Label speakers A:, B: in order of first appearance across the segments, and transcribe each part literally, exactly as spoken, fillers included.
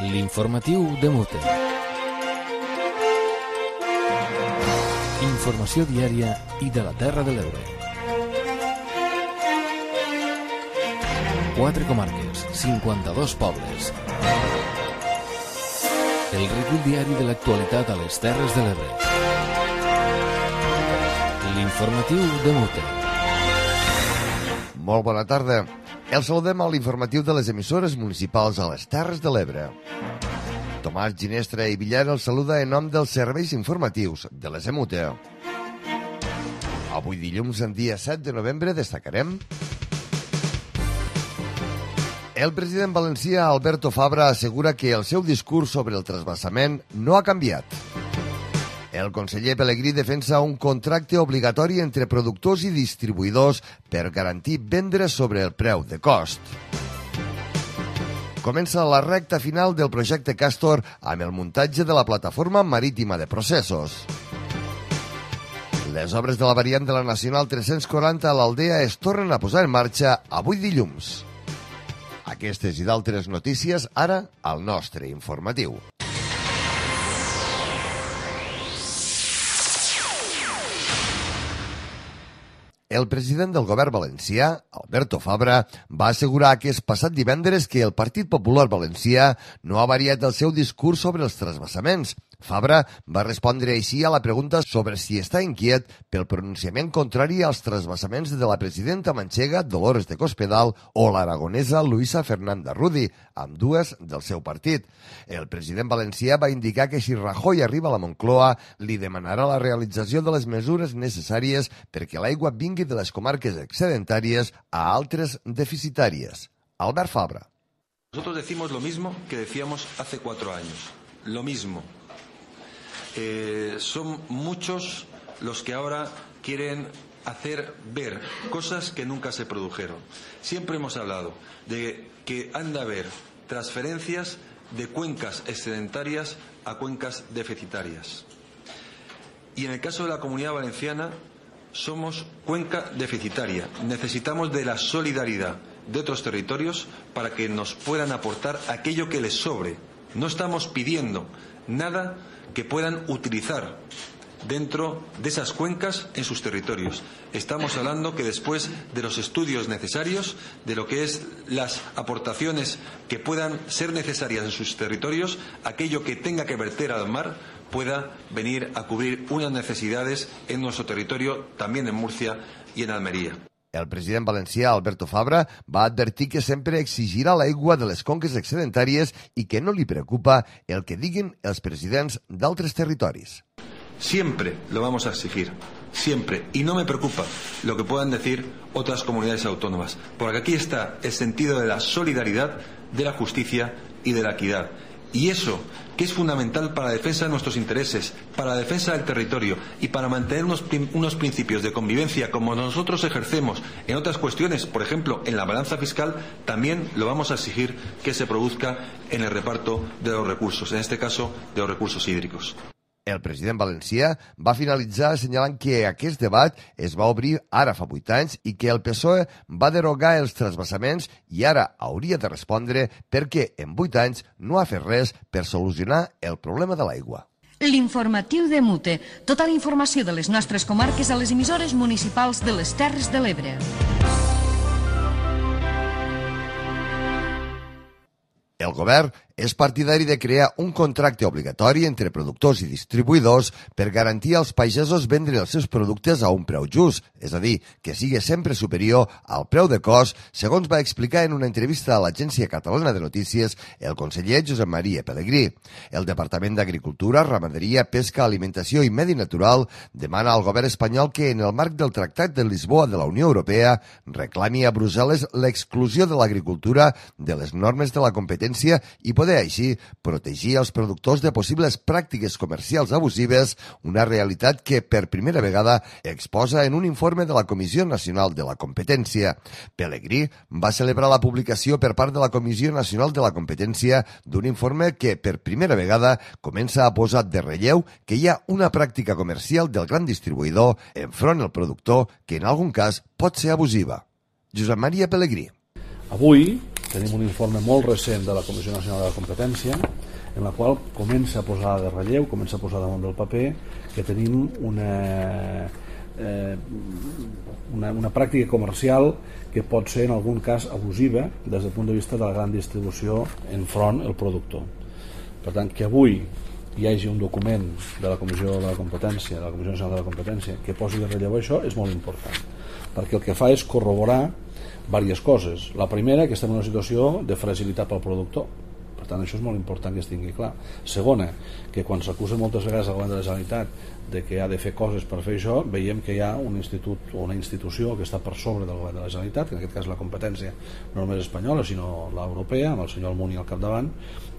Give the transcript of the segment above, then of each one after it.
A: L'informatiu de Mute. Informació diària i de la Terra de l'Ebre. Quatre comarques, cinquanta-dos pobles. El recull diari de l'actualitat a les Terres de l'Ebre. L'informatiu de Mute.
B: Molt bona tarda. El saludem a l'informatiu de les emissores municipals a les Terres de l'Ebre. Tomàs Ginestra i Villar el saluda en nom dels serveis informatius de les E M U T E. Avui dilluns, en dia set de novembre, destacarem: el president valencià Alberto Fabra assegura que el seu discurs sobre el trasbassament no ha canviat. El conseller Pelegrí defensa un contracte obligatori entre productors i distribuïdors per garantir vendre sobre el preu de cost. Comença la recta final del projecte Castor amb el muntatge de la plataforma marítima de processos. Les obres de la variant de la Nacional tres-cents quaranta a l'Aldea es tornen a posar en marxa avui dilluns. Aquestes i d'altres notícies ara al nostre informatiu. El president del govern valencià, Alberto Fabra, va assegurar aquest passat divendres que el Partit Popular Valencià no ha variat el seu discurs sobre els trasbassaments. Fabra va respondre així a la pregunta sobre si està inquiet pel pronunciament contrari als trasbassaments de la presidenta manxega Dolores de Cospedal o l'aragonesa Luisa Fernanda Rudi, ambdues del seu partit. El president valencià va indicar que si Rajoy arriba a la Moncloa, li demanarà la realització de les mesures necessàries perquè l'aigua vingui de les comarques excedentàries a altres deficitàries. Albert Fabra.
C: Nosotros decimos lo mismo que decíamos hace cuatro años. Lo mismo. Eh, son muchos los que ahora quieren hacer ver cosas que nunca se produjeron. Siempre hemos hablado de que han de haber transferencias de cuencas excedentarias a cuencas deficitarias. Y en el caso de la Comunidad Valenciana somos cuenca deficitaria. Necesitamos de la solidaridad de otros territorios para que nos puedan aportar aquello que les sobre. No estamos pidiendo nada que puedan utilizar dentro de esas cuencas en sus territorios. Estamos hablando que después de los estudios necesarios, de lo que es las aportaciones que puedan ser necesarias en sus territorios, aquello que tenga que verter al mar pueda venir a cubrir unas necesidades en nuestro territorio, también en Murcia y en Almería.
B: El president valencià, Alberto Fabra, va advertir que sempre exigirà l'aigua de les conques excedentàries i que no li preocupa el que diguin els presidents d'altres territoris.
C: Siempre lo vamos a exigir, siempre. Y no me preocupa lo que puedan decir otras comunidades autónomas, porque aquí está el sentido de la solidaridad, de la justicia y de la equidad. Y eso, que es fundamental para la defensa de nuestros intereses, para la defensa del territorio y para mantener unos, unos principios de convivencia como nosotros ejercemos en otras cuestiones, por ejemplo, en la balanza fiscal, también lo vamos a exigir que se produzca en el reparto de los recursos, en este caso, de los recursos hídricos.
B: El president valencià va finalitzar assenyalant que aquest debat es va obrir ara fa vuit anys i que el P S O E va derogar els trasbassaments i ara hauria de respondre perquè en vuit anys no ha fet res per solucionar el problema de l'aigua.
D: L'informatiu de Mute. Tota la informació de les nostres comarques a les emissores municipals de les Terres de l'Ebre.
B: El govern és partidari de crear un contracte obligatori entre productors i distribuïdors per garantir als pagesos vendre els seus productes a un preu just, és a dir, que sigui sempre superior al preu de cost, segons va explicar en una entrevista a l'Agència Catalana de Notícies el conseller Josep Maria Pelegrí. El Departament d'Agricultura, Ramaderia, Pesca, Alimentació i Medi Natural demana al govern espanyol que, en el marc del Tractat de Lisboa de la Unió Europea, reclami a Brussel·les l'exclusió de l'agricultura de les normes de la competència i poder així protegir els productors de possibles pràctiques comercials abusives, una realitat que per primera vegada exposa en un informe de la Comissió Nacional de la Competència. Pelegrí va celebrar la publicació per part de la Comissió Nacional de la Competència d'un informe que per primera vegada comença a posar de relleu que hi ha una pràctica comercial del gran distribuïdor enfront al productor que en algun cas pot ser abusiva. Josep Maria Pelegrí.
E: Avui tenim un informe molt recent de la Comissió Nacional de la Competència en la qual comença a posar de relleu, comença a posar damunt del paper que tenim una, eh, una, una pràctica comercial que pot ser en algun cas abusiva des del punt de vista de la gran distribució enfront el productor. Per tant, que avui hi hagi un document de la Comissió de la Competència, de la Comissió Nacional de la Competència, que posi de relleu això és molt important, perquè el que fa és corroborar diverses coses. La primera, que estem en una situació de fragilitat pel productor. Per tant, això és molt important que es tingui clar. Segona, que quan s'acusa moltes vegades al govern de la Generalitat de que ha de fer coses per fer això, veiem que hi ha un institut o una institució que està per sobre del govern de la Generalitat, que en aquest cas la competència no només espanyola, sinó l'europea, amb el senyor Almunia al capdavant,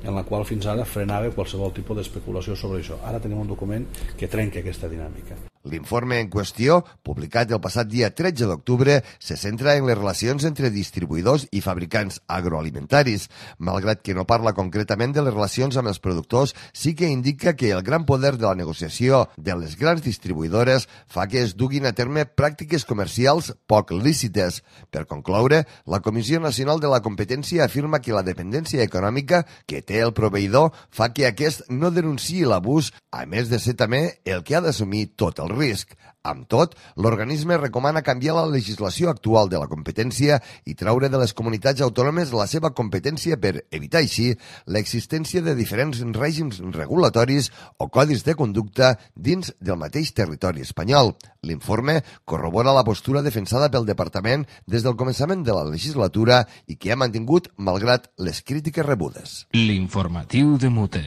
E: en la qual fins ara frenava qualsevol tipus d'especulació sobre això. Ara tenim un document que trenca aquesta dinàmica.
B: L'informe en qüestió, publicat el passat dia tretze d'octubre, se centra en les relacions entre distribuïdors i fabricants agroalimentaris. Malgrat que no parla concretament de les relacions amb els productors, sí que indica que el gran poder de la negociació de les grans distribuïdores fa que es duguin a terme pràctiques comercials poc lícites. Per concloure, la Comissió Nacional de la Competència afirma que la dependència econòmica que té el proveïdor fa que aquest no denunciï l'abús, a més de ser també el que ha d'assumir tot el risc. Amb tot, l'organisme recomana canviar la legislació actual de la competència i traure de les comunitats autònomes la seva competència per evitar així l'existència de diferents règims regulatoris o codis de conducta dins del mateix territori espanyol. L'informe corrobora la postura defensada pel Departament des del començament de la legislatura i que ha mantingut malgrat les crítiques rebudes.
A: L'informatiu de Mute.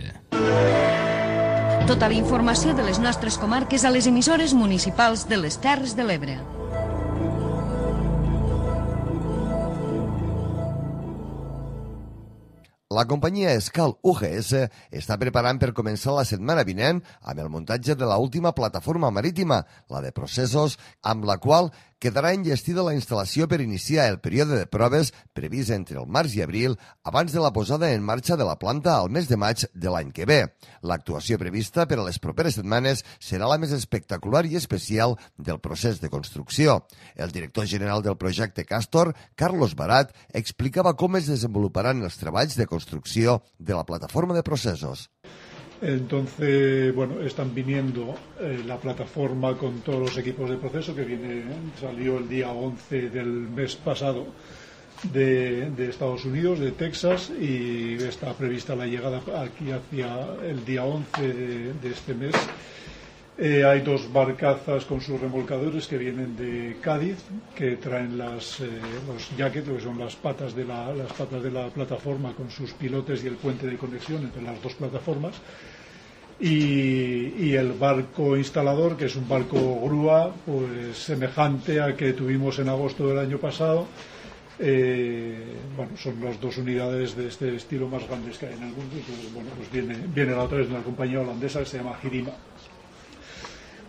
D: Tota la informació de les nostres comarques a les emissores municipals de les Terres de l'Ebre.
B: La companyia Escal U G S està preparant per començar la setmana vinent amb el muntatge de l'última plataforma marítima, la de Processos, amb la qual quedarà enllestida la instal·lació per iniciar el període de proves previst entre el març i abril abans de la posada en marxa de la planta al mes de maig de l'any que ve. L'actuació prevista per a les properes setmanes serà la més espectacular i especial del procés de construcció. El director general del projecte Castor, Carlos Barat, explicava com es desenvoluparan els treballs de construcció de la plataforma de Processos.
F: Entonces, bueno, están viniendo eh, la plataforma con todos los equipos de proceso que viene, salió el día once del mes pasado de, de Estados Unidos, de Texas, y está prevista la llegada aquí hacia el día once de, de este mes. Eh, hay dos barcazas con sus remolcadores que vienen de Cádiz, que traen las, eh, los jackets, que son las patas, de la, las patas de la plataforma con sus pilotes y el puente de conexión entre las dos plataformas. Y, y el barco instalador, que es un barco grúa, pues semejante al que tuvimos en agosto del año pasado. Eh, bueno, son las dos unidades de este estilo más grandes que hay en el mundo. Entonces, bueno, pues viene, viene la otra vez de una compañía holandesa que se llama Girima.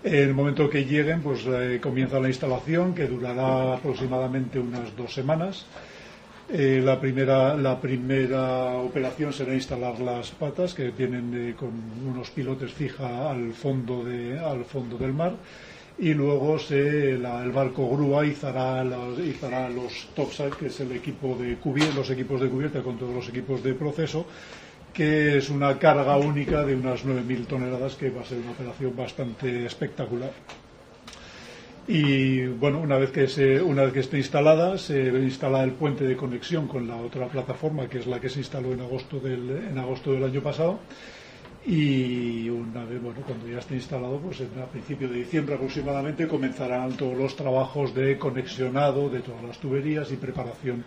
F: En el momento que lleguen, pues eh, comienza la instalación, que durará aproximadamente unas dos semanas. Eh, la, primera, la primera operación será instalar las patas, que vienen eh, con unos pilotes fija al fondo, de, al fondo del mar, y luego se, la, el barco grúa izará, los, izará los topside, que es el equipo de cubierta, los equipos de cubierta con todos los equipos de proceso, que es una carga única de unas nueve mil toneladas, que va a ser una operación bastante espectacular. Y bueno, una vez que se, una vez que esté instalada, se instala el puente de conexión con la otra plataforma, que es la que se instaló en agosto del, en agosto del año pasado. Y una vez, bueno, cuando ya esté instalado, pues a principios de diciembre aproximadamente comenzarán todos los trabajos de conexionado de todas las tuberías y preparación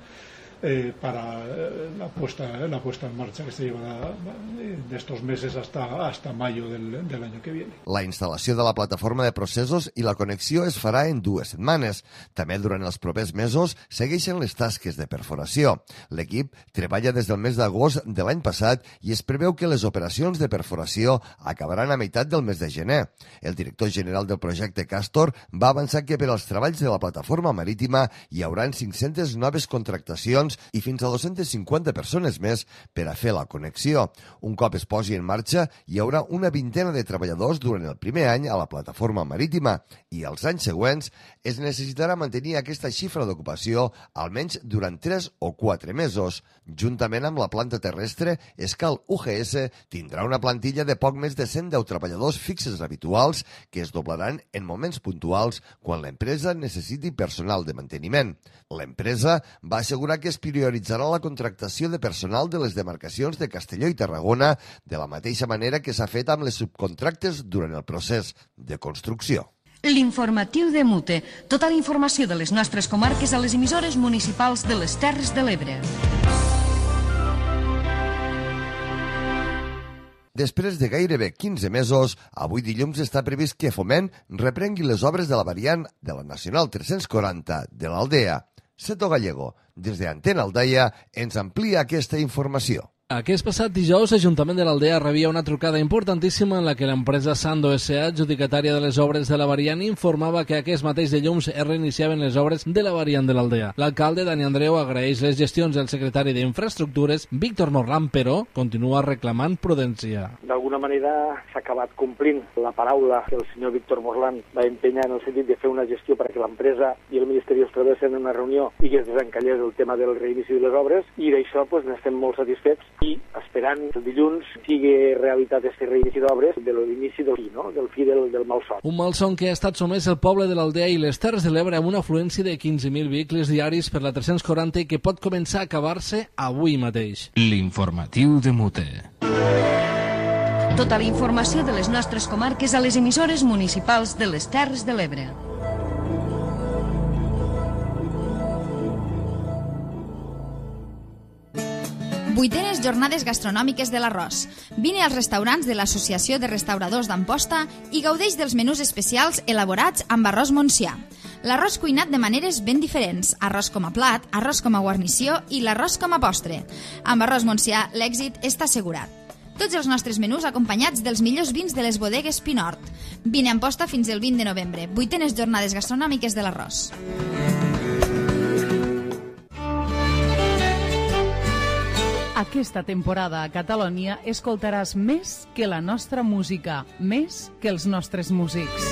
F: Eh, para eh, la, puesta, eh, la puesta en marcha, que se llevará eh, de estos meses hasta, hasta mayo del, del año que viene.
B: La instal·lació de la plataforma de processos i la connexió es farà en dues setmanes. També durant els propers mesos segueixen les tasques de perforació. L'equip treballa des del mes d'agost de l'any passat i es preveu que les operacions de perforació acabaran a meitat del mes de gener. El director general del projecte Castor va avançar que per als treballs de la plataforma marítima hi haurà cinc-centes noves contractacions camions i fins a dos-centes cinquanta persones més per a fer la connexió. Un cop es posi en marxa, hi haurà una vintena de treballadors durant el primer any a la plataforma marítima i els anys següents es necessitarà mantenir aquesta xifra d'ocupació almenys durant tres o quatre mesos. Juntament amb la planta terrestre, Escal U G S tindrà una plantilla de poc més de cent deu treballadors fixes habituals que es doblaran en moments puntuals quan l'empresa necessiti personal de manteniment. L'empresa va assegurar que es prioritzarà la contractació de personal de les demarcacions de Castelló i Tarragona de la mateixa manera que s'ha fet amb les subcontractes durant el procés de construcció.
D: L'informatiu de Mute. Tota la informació de les nostres comarques a les emissores municipals de les Terres de l'Ebre.
B: Després de gairebé quinze mesos, avui dilluns està previst que Foment reprengui les obres de la variant de la Nacional tres-cents quaranta de l'Aldea. Seto Gallego, des d'Antena Aldaia, ens amplia aquesta informació.
G: Aquest passat dijous, l'Ajuntament de l'Aldea rebia una trucada importantíssima en la que l'empresa Sando S A, adjudicatària de les obres de la variant, informava que aquest mateix dilluns es reiniciaven les obres de la variant de l'Aldea. L'alcalde, Dani Andreu, agraeix les gestions del secretari d'Infraestructures, Víctor Morlán, però continua reclamant prudència.
H: D'alguna manera s'ha acabat complint la paraula que el senyor Víctor Morlán va empenyar en el sentit de fer una gestió perquè l'empresa i el Ministeri es trobessin en una reunió i que es desencallés el tema del reinici de les obres, i d'això pues, n'estem molt satisfets i esperant que el dilluns sigui realitat aquest reinici d'obres de l'inici del fi, no? del fi del, del malson.
G: Un malson que ha estat somès el poble de l'Aldea i les Terres de l'Ebre amb una afluència de quinze mil vehicles diaris per la tres-cents quaranta i que pot començar a acabar-se avui mateix.
A: L'informatiu de Mute.
D: Tota la informació de les nostres comarques a les emissores municipals de les Terres de l'Ebre.
I: Vuitenes jornades gastronòmiques de l'Arròs. Vine als restaurants de l'Associació de Restauradors d'Amposta i gaudeix dels menús especials elaborats amb arròs Montsià. L'arròs cuinat de maneres ben diferents, arròs com a plat, arròs com a guarnició i l'arròs com a postre. Amb arròs Montsià l'èxit està assegurat. Tots els nostres menús acompanyats dels millors vins de les bodegues Pinort. Vine a Amposta fins el vint de novembre. Vuitenes jornades gastronòmiques de l'Arròs.
J: Aquesta temporada a Catalunya escoltaràs més que la nostra música, més que els nostres músics.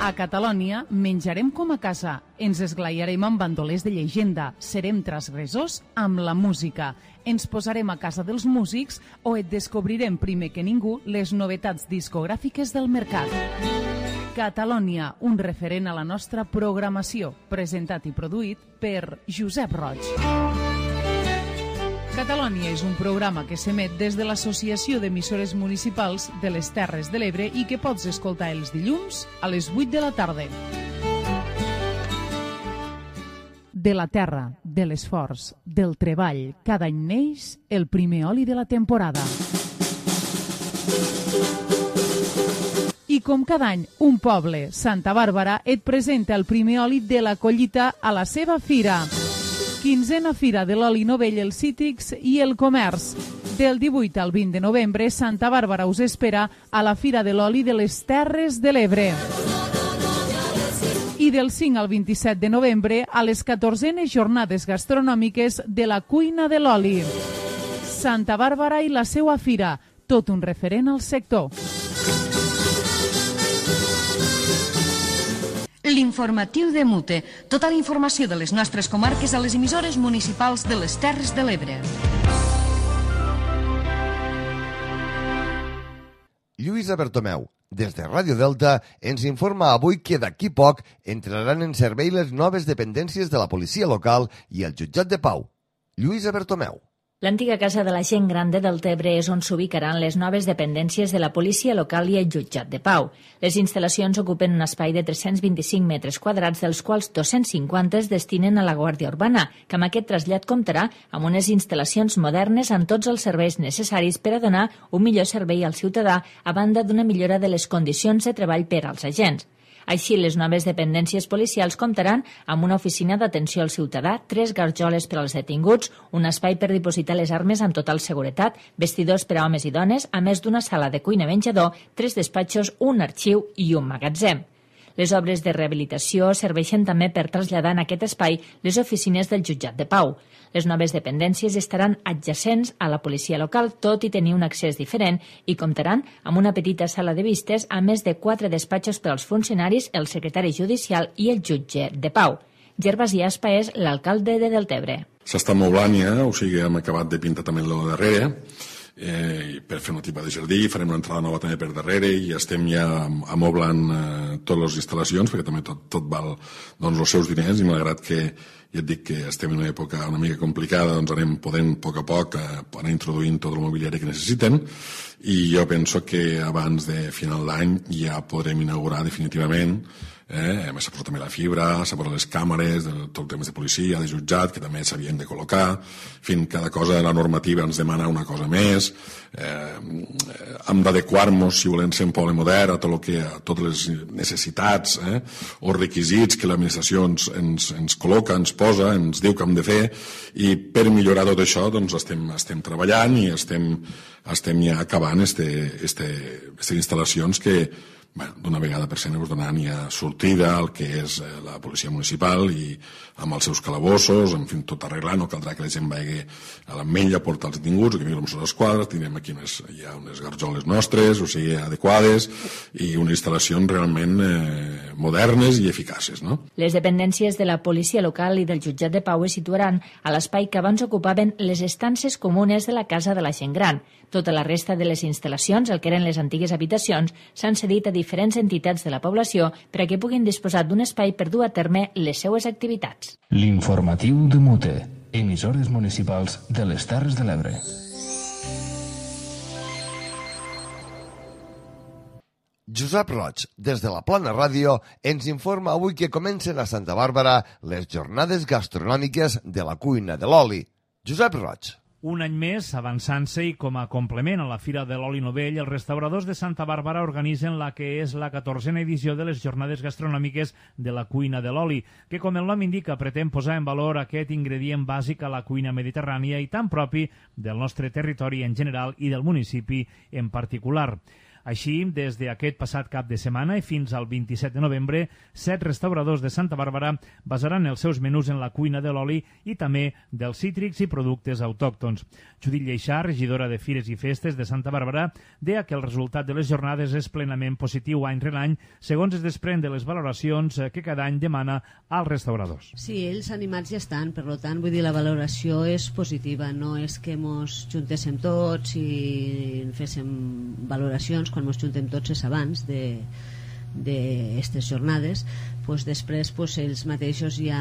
J: A Catalunya menjarem com a casa, ens esglaiarem amb bandolers de llegenda, serem transgressors amb la música, ens posarem a casa dels músics o et descobrirem primer que ningú les novetats discogràfiques del mercat. Catalunya, un referent a la nostra programació, presentat i produït per Josep Roig. Catalunya és un programa que s'emet des de l'Associació d'Emissores Municipals de les Terres de l'Ebre i que pots escoltar els dilluns a les vuit de la tarda. De la terra, de l'esforç, del treball, cada any neix el primer oli de la temporada. I com cada any, un poble, Santa Bàrbara, et presenta el primer oli de la collita a la seva fira. Quinzena Fira de l'Oli Novell, els Cítrics i el Comerç. Del divuit al vint de novembre, Santa Bàrbara us espera a la Fira de l'Oli de les Terres de l'Ebre. I del cinc al vint-i-set de novembre, a les catorzenes jornades gastronòmiques de la Cuina de l'Oli. Santa Bàrbara i la seua fira, tot un referent al sector.
D: L'informatiu de Mute. Tota la informació de les nostres comarques a les emissores municipals de les Terres de l'Ebre.
B: Lluïsa Bertomeu, des de Ràdio Delta, ens informa avui que d'aquí poc entraran en servei les noves dependències de la policia local i el jutjat de Pau. Lluïsa Bertomeu.
K: L'antiga casa de la gent gran de Deltebre és on s'ubicaran les noves dependències de la policia local i el jutjat de Pau. Les instal·lacions ocupen un espai de tres-cents vint-i-cinc metres quadrats, dels quals dos-cents cinquanta es destinen a la Guàrdia Urbana, que amb aquest trasllat comptarà amb unes instal·lacions modernes amb tots els serveis necessaris per a donar un millor servei al ciutadà, a banda d'una millora de les condicions de treball per als agents. Així, les noves dependències policials comptaran amb una oficina d'atenció al ciutadà, tres garjoles per als detinguts, un espai per dipositar les armes amb total seguretat, vestidors per a homes i dones, a més d'una sala de cuina-menjador, tres despatxos, un arxiu i un magatzem. Les obres de rehabilitació serveixen també per traslladar en aquest espai les oficines del jutjat de Pau. Les noves dependències estaran adjacents a la policia local, tot i tenir un accés diferent, i comptaran amb una petita sala de vistes, a més de quatre despatxos per als funcionaris, el secretari judicial i el jutge de Pau. Gervasi Aspa és l'alcalde de Deltebre.
L: S'està moblant ja, o sigui, hem acabat de pintar també el darrere, eh, per fer una tipa de jardí, farem una entrada nova també per darrere i estem ja amoblant eh, totes les instal·lacions, perquè també tot, tot val doncs, els seus diners, i malgrat que ja et dic que estem en una època una mica complicada, doncs anem podent a poc a poc eh, anar introduint tot el mobiliari que necessiten, i jo penso que abans de final d'any ja podrem inaugurar definitivament. Eh, s'ha posat també la fibra, s'ha posat les càmeres, tot el tema de policia, de jutjat, que també s'havien de col·locar. En fi, cada cosa de la normativa ens demana una cosa més. Eh, hem d'adequar-nos, si volem ser un poble modern, a, tot que, a totes les necessitats eh, o requisits que l'administració ens, ens, ens col·loca, ens posa, ens diu que hem de fer, i per millorar tot això doncs estem, estem treballant i estem, estem ja acabant aquestes instal·lacions que Bé, d'una vegada per sempre donaran ja sortida al que és la policia municipal i amb els seus calabossos, en fi, tot arreglant, no caldrà que la gent vagi a l'ametlla a portar els detinguts, que vinguin els Mossos d'Esquadra, tindrem aquí unes, ja unes garjoles nostres, o sigui, adequades, i unes instal·lacions realment eh, modernes i eficaces, no?
K: Les dependències de la policia local i del jutjat de Pau es situaran a l'espai que abans ocupaven les estances comunes de la Casa de la Gent Gran. Tota la resta de les instal·lacions, el que eren les antigues habitacions, s'han cedit a diferents entitats de la població per a que puguin disposar d'un espai per dur a terme les seues activitats.
A: L'informatiu de Mute, emissores municipals de les Terres de l'Ebre.
B: Josep Roig, des de la Plana Ràdio, ens informa avui que comencen a Santa Bàrbara les jornades gastronòmiques de la cuina de l'oli. Josep Roig.
M: Un any més, avançant-se i com a complement a la Fira de l'Oli Novell, els restauradors de Santa Bàrbara organitzen la que és la catorzena edició de les jornades gastronòmiques de la cuina de l'oli, que, com el nom indica, pretén posar en valor aquest ingredient bàsic a la cuina mediterrània i tan propi del nostre territori en general i del municipi en particular. Així, des d'aquest passat cap de setmana i fins al vint-i-set de novembre, set restauradors de Santa Bàrbara basaran els seus menús en la cuina de l'oli i també dels cítrics i productes autòctons. Judit Lleixà, regidora de Fires i Festes de Santa Bàrbara, deia que el resultat de les jornades és plenament positiu any rere any, segons es desprèn de les valoracions que cada any demana als restauradors.
N: Sí, ells animats ja estan, per tant, vull dir, la valoració és positiva, no és que mos juntéssim tots i féssim valoracions. Quan ens juntem tots és abans d'aquestes jornades, doncs després doncs, ells mateixos ja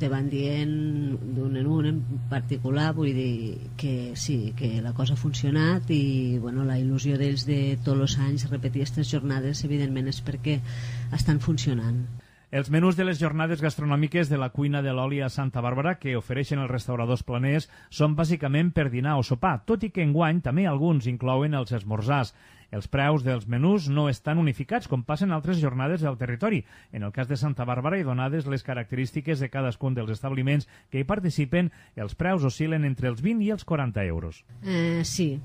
N: te van dient d'un en un en particular, vull dir que sí, que la cosa ha funcionat i bueno, la il·lusió d'ells de tots els anys repetir aquestes jornades evidentment és perquè estan funcionant.
M: Els menús de les jornades gastronòmiques de la cuina de l'oli a Santa Bàrbara que ofereixen els restauradors planers són bàsicament per dinar o sopar, tot i que enguany també alguns inclouen els esmorzars. Els preus dels menús no estan unificats com passen altres jornades del territori. En el cas de Santa Bàrbara i donades les característiques de cadascun dels establiments que hi participen, els preus oscil·len entre els vint i els quaranta euros.
N: Eh, sí,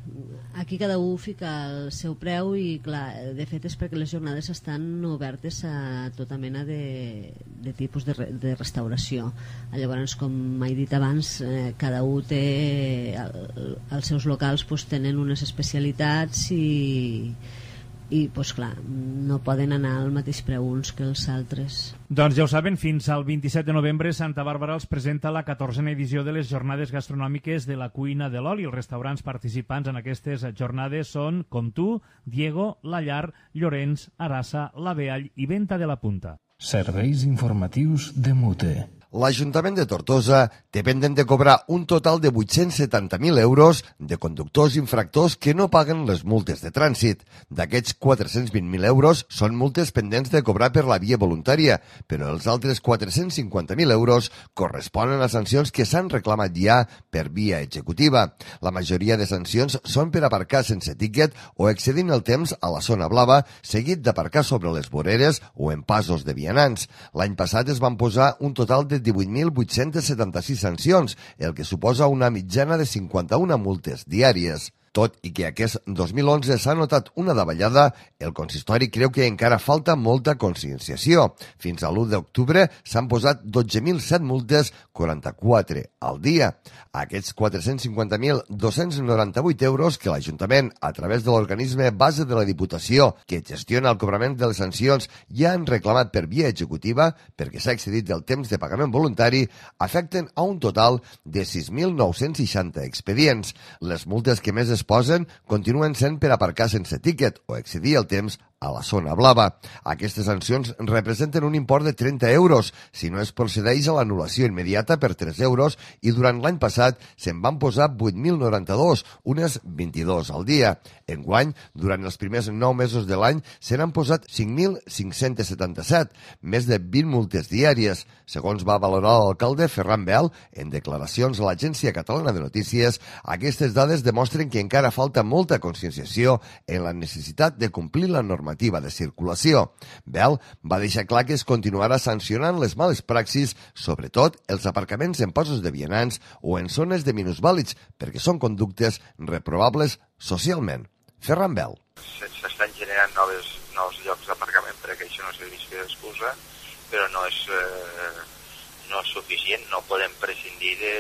N: aquí cada un fica el seu preu i clar, de fet és perquè les jornades estan obertes a tota mena de, de tipus de, de restauració. Llavors, com he dit abans, eh, cada un té el, els seus locals pues, tenen unes especialitats i i pues, clar, no poden anar al mateix preu uns que els altres.
M: Doncs ja ho saben, fins al vint-i-set de novembre Santa Bàrbara els presenta la catorzena edició de les jornades gastronòmiques de la cuina de l'oli. Els restaurants participants en aquestes jornades són Comtú, Diego, La Llar, Llorenç, Arassa, La Beall i Venta de la Punta.
A: Serveis informatius de Mute.
B: L'Ajuntament de Tortosa té pendent de cobrar un total de vuit-cents setanta mil euros de conductors infractors que no paguen les multes de trànsit. D'aquests quatre-cents vint mil euros són multes pendents de cobrar per la via voluntària, però els altres quatre-cents cinquanta mil euros corresponen a sancions que s'han reclamat ja per via executiva. La majoria de sancions són per aparcar sense tíquet o excedint el temps a la zona blava, seguit d'aparcar sobre les voreres o en passos de vianants. L'any passat es van posar un total de divuit mil vuit-cents setanta-sis sancions, el que suposa una mitjana de cinquanta-una multes diàries. Tot i que aquest dos mil onze s'ha notat una davallada, el consistori creu que encara falta molta conscienciació. Fins a l'u d'octubre s'han posat dotze mil set multes, quaranta-quatre al dia. Aquests quatre-cents cinquanta mil dos-cents noranta-vuit euros que l'Ajuntament, a través de l'organisme base de la Diputació, que gestiona el cobrament de les sancions, ja han reclamat per via executiva, perquè s'ha excedit del temps de pagament voluntari, afecten a un total de sis mil nou-cents seixanta expedients. Les multes que més es posen continuen sent per aparcar sense tíquet o excedir el temps a la zona blava. Aquestes sancions representen un import de trenta euros si no es procedeix a l'anul·lació immediata per tres euros i durant l'any passat se'n van posar vuit mil noranta-dos, unes vint-i-dos al dia. Enguany, durant els primers nou mesos de l'any, se n'han posat cinc mil cinc-cents setanta-set, més de vint multes diàries. Segons va valorar l'alcalde Ferran Bel, en declaracions a l'Agència Catalana de Notícies, aquestes dades demostren que encara falta molta conscienciació en la necessitat de complir la normativa de circulació. Bel va deixar clar que es continuarà sancionant les males praxis, sobretot els aparcaments en passos de vianants o en zones de minusvàlids, perquè són conductes reprovables socialment. Ferran Bel.
O: S'estan generant noves, nous llocs d'aparcament perquè això no serveixi d'excusa, però no és, eh, no és suficient, no podem prescindir de,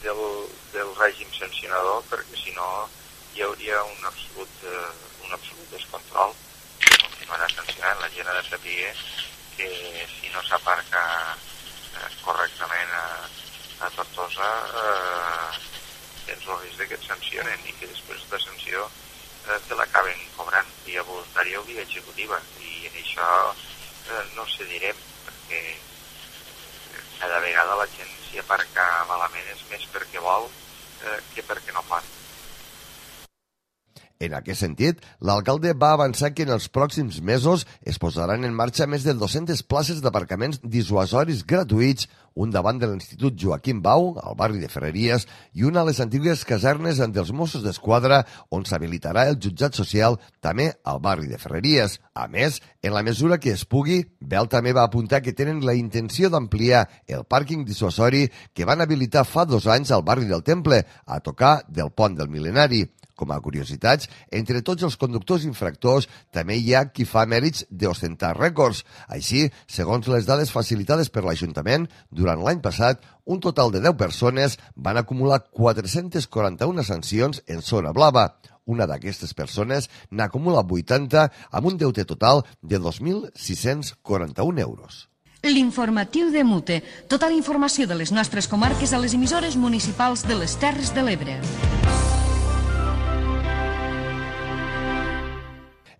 O: del, del règim sancionador perquè si no hi hauria un absolut, eh, un absolut descontrol. Continuarà sancionant, la gent ha de saber que si no s'aparca eh, correctament a, a Tortosa eh, tens el risc que et sancionen i que després de sanció eh, te l'acaben cobrant via voluntària o via executiva i en això eh, no cedirem perquè cada vegada la gent si aparca malament és més perquè vol eh, que perquè no pot.
B: En aquest sentit, l'alcalde va avançar que en els pròxims mesos es posaran en marxa més de dues-centes places d'aparcaments dissuasoris gratuïts, un davant de l'Institut Joaquim Bau, al barri de Ferreries, i una a les antigues casernes dels Mossos d'Esquadra, on s'habilitarà el jutjat social també al barri de Ferreries. A més, en la mesura que es pugui, Bel també va apuntar que tenen la intenció d'ampliar el pàrquing dissuasori que van habilitar fa dos anys al barri del Temple, a tocar del pont del Mil·lenari. Com a curiositats, entre tots els conductors infractors també hi ha qui fa mèrits d'ostentar rècords. Així, segons les dades facilitades per l'Ajuntament, durant l'any passat, un total de deu persones van acumular quatre-centes quaranta-una sancions en zona blava. Una d'aquestes persones n'acumula vuitanta amb un deute total de dos mil sis-cents quaranta-un euros.
D: L'informatiu de Mute. Tota la informació de les nostres comarques a les emissores municipals de les Terres de l'Ebre.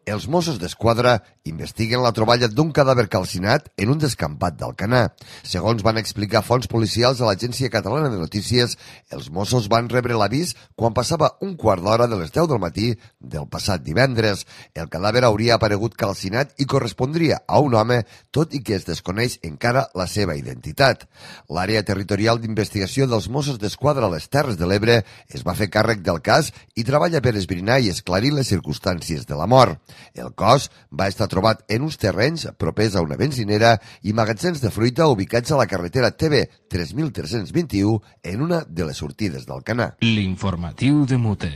B: Els Mossos d'Esquadra investiguen la troballa d'un cadàver calcinat en un descampat d'Alcanar. Segons van explicar fonts policials a l'Agència Catalana de Notícies, els Mossos van rebre l'avís quan passava un quart d'hora de les deu del matí del passat divendres. El cadàver hauria aparegut calcinat i correspondria a un home, tot i que es desconeix encara la seva identitat. L'àrea territorial d'investigació dels Mossos d'Esquadra a les Terres de l'Ebre es va fer càrrec del cas i treballa per esbrinar i esclarir les circumstàncies de la mort. El cos va estar trobat en uns terrenys propers a una benzinera i magatzems de fruita ubicats a la carretera T B tres mil tres-cents vint-i-u en una de les sortides d'Alcanar.
A: L'informatiu de Mute.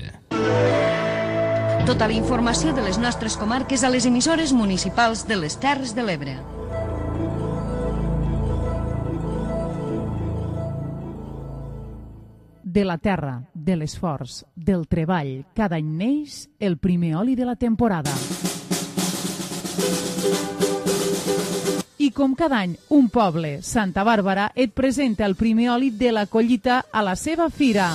D: Tota la informació de les nostres comarques a les emissores municipals de les Terres de l'Ebre.
J: De la terra, de l'esforç, del treball, cada any neix el primer oli de la temporada. I com cada any, un poble, Santa Bàrbara, et presenta el primer oli de la collita a la seva fira.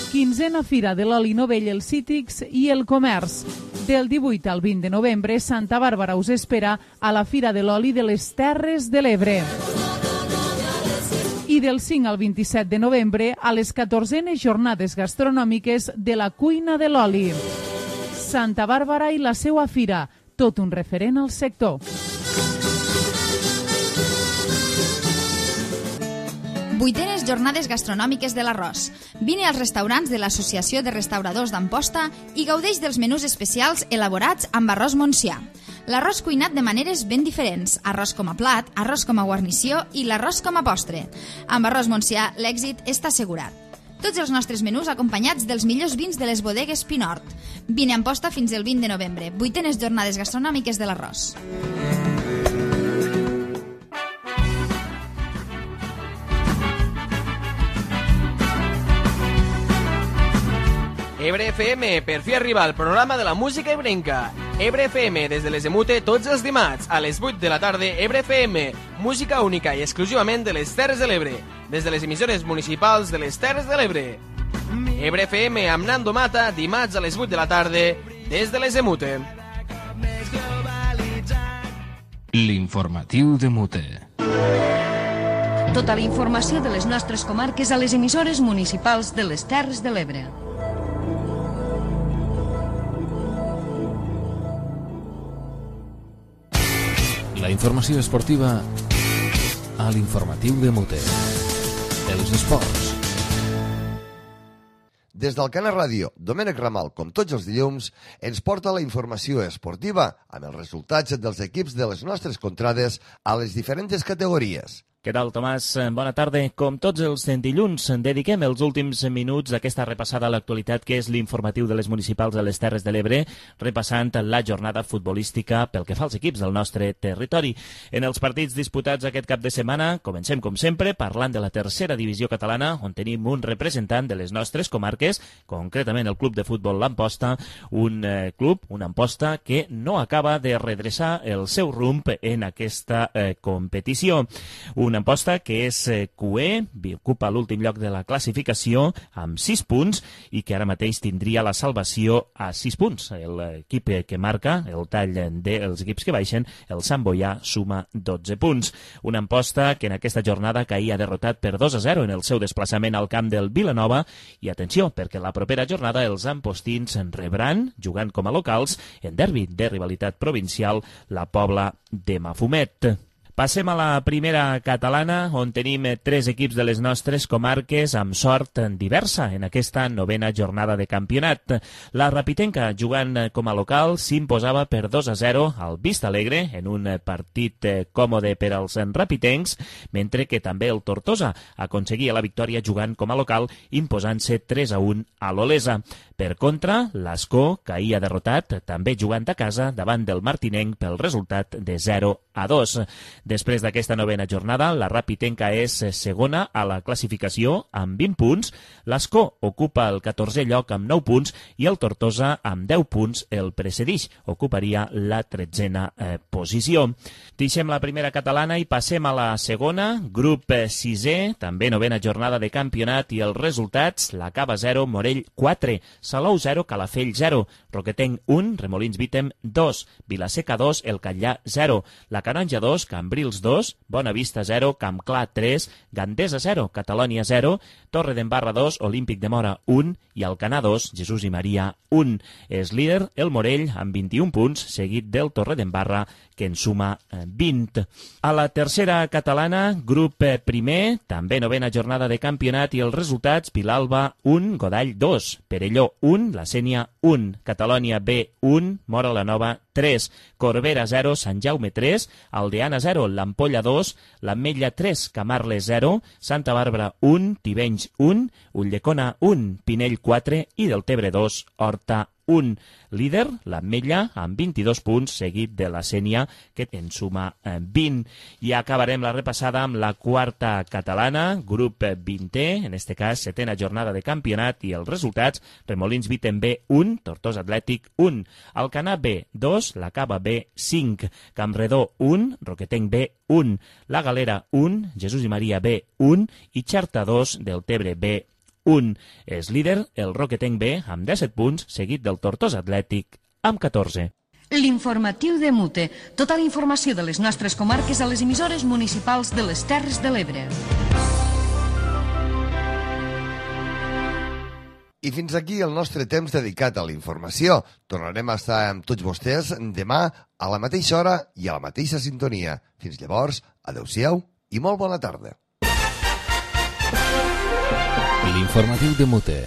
J: Quinzena Fira de l'Oli Novell, els Cítrics i el Comerç. Del divuit al vint de novembre, Santa Bàrbara us espera a la Fira de l'Oli de les Terres de l'Ebre. I del cinc al vint-i-set de novembre a les catorzenes jornades gastronòmiques de la cuina de l'oli. Santa Bàrbara i la seua fira, tot un referent al sector.
I: Vuitenes jornades gastronòmiques de l'arròs. Vine als restaurants de l'Associació de Restauradors d'Amposta i gaudeix dels menús especials elaborats amb arròs montsià. L'arròs cuinat de maneres ben diferents, arròs com a plat, arròs com a guarnició i l'arròs com a postre. Amb arròs montsià l'èxit està assegurat. Tots els nostres menús acompanyats dels millors vins de les bodegues Pinort. Vine a Amposta fins el vint de novembre. Vuitenes jornades gastronòmiques de l'arròs.
P: Ebre F M, per fi arriba el programa de la música ebrenca. Ebre F M, des de les de Mute, tots els dimarts, a les vuit de la tarda, Ebre F M, música única i exclusivament de les Terres de l'Ebre, des de les emissores municipals de les Terres de l'Ebre. Ebre F M amb Nando Mata, dimarts a les vuit de la tarda, des de les de Mute.
A: L'informatiu de Mute.
D: Tota la informació de les nostres comarques a les emissores municipals de les Terres de l'Ebre.
A: La informació esportiva a l'informatiu de Mute. Els esports.
B: Des del Cana Ràdio, Domènec Ramal, com tots els dilluns, ens porta la informació esportiva amb els resultats dels equips de les nostres contrades a les diferents categories.
Q: Què tal, Tomàs? Bona tarda. Com tots els dilluns, dediquem els últims minuts d'aquesta repassada a l'actualitat que és l'informatiu de les municipals de les Terres de l'Ebre, repassant la jornada futbolística pel que fa als equips del nostre territori. En els partits disputats aquest cap de setmana, comencem com sempre parlant de la tercera divisió catalana, on tenim un representant de les nostres comarques, concretament el club de futbol l'Amposta, un eh, club, una Amposta, que no acaba de redreçar el seu rumb en aquesta eh, competició. Un Una Amposta que és Q E, ocupa l'últim lloc de la classificació amb sis punts i que ara mateix tindria la salvació a sis punts. L'equip que marca el tall dels equips que baixen, el Sant Boià, suma dotze punts. Una Amposta que en aquesta jornada caïa derrotat per dos a zero en el seu desplaçament al camp del Vilanova i atenció, perquè la propera jornada els ampostins rebran, jugant com a locals, en derbi de rivalitat provincial, la Pobla de Mafumet. Passem a la primera catalana, on tenim tres equips de les nostres comarques amb sort diversa en aquesta novena jornada de campionat. La Rapitenca, jugant com a local, s'imposava per dos a zero al Vista Alegre en un partit còmode per als rapitencs, mentre que també el Tortosa aconseguia la victòria jugant com a local, imposant-se tres a un a l'Olesa. Per contra, l'Escó caïa derrotat, també jugant a casa, davant del Martinenc pel resultat de zero a dos. Després d'aquesta novena jornada, la Rapitenca és segona a la classificació amb vint punts, l'Escó ocupa el catorzè lloc amb nou punts i el Tortosa amb deu punts el precedix, ocuparia la tretzena eh, posició. Deixem la primera catalana i passem a la segona, grup sisè, també novena jornada de campionat i els resultats, la Cava zero, Morell quatre, Salou zero, Calafell zero, Roquetenc un, Remolins Vítem dos, Vilaseca dos, El Catllà zero, la Canonja dos, Cambrils dos, Bona Vista zero, Campclar tres, Gandesa zero, Catalònia zero, Torre d'Embarra dos, Olímpic de Mora un i Alcanar dos, Jesús i Maria un. És líder el Morell amb vint-i-un punts, seguit del Torre d'Embarra, que en suma vint. A la tercera catalana, grup primer, també novena jornada de campionat i els resultats, Vilalba un, Godall dos, Perelló un, La Sénia un, Catalònia B un, Mora la Nova tres, Corbera zero, Sant Jaume tres, Aldeana zero, l'Ampolla dos, l'Ametlla tres, Camarles zero, Santa Bàrbara un, Tivenys un, Ulldecona un, Pinell quatre i Deltebre dos, Horta un. Líder, l'Ametlla, amb vint-i-dos punts, seguit de la Sénia, que en suma vint. I acabarem la repassada amb la quarta catalana, grup vintè, en este cas, setena jornada de campionat i els resultats, Remolins Vítem B un, Tortosa Atlètic un, Alcanar B dos, la Cava B cinc, Campredó un, Roquetenc B un, La Galera un, Jesús i Maria B un i Xerta dos, Deltebre B un. És líder el Roquetenc B amb disset punts, seguit del Tortosa Atlètic amb catorze.
D: L'informatiu de Mute. Tota la informació de les nostres comarques a les emissores municipals de les Terres de l'Ebre.
B: I fins aquí el nostre temps dedicat a la informació. Tornarem a estar amb tots vostès demà a la mateixa hora i a la mateixa sintonia. Fins llavors, adeu-siau i molt bona tarda.
A: L'informatiu de Mute,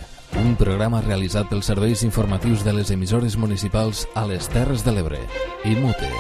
A: un programa realitzat pels serveis informatius de les emissores municipals a les Terres de l'Ebre i Mute.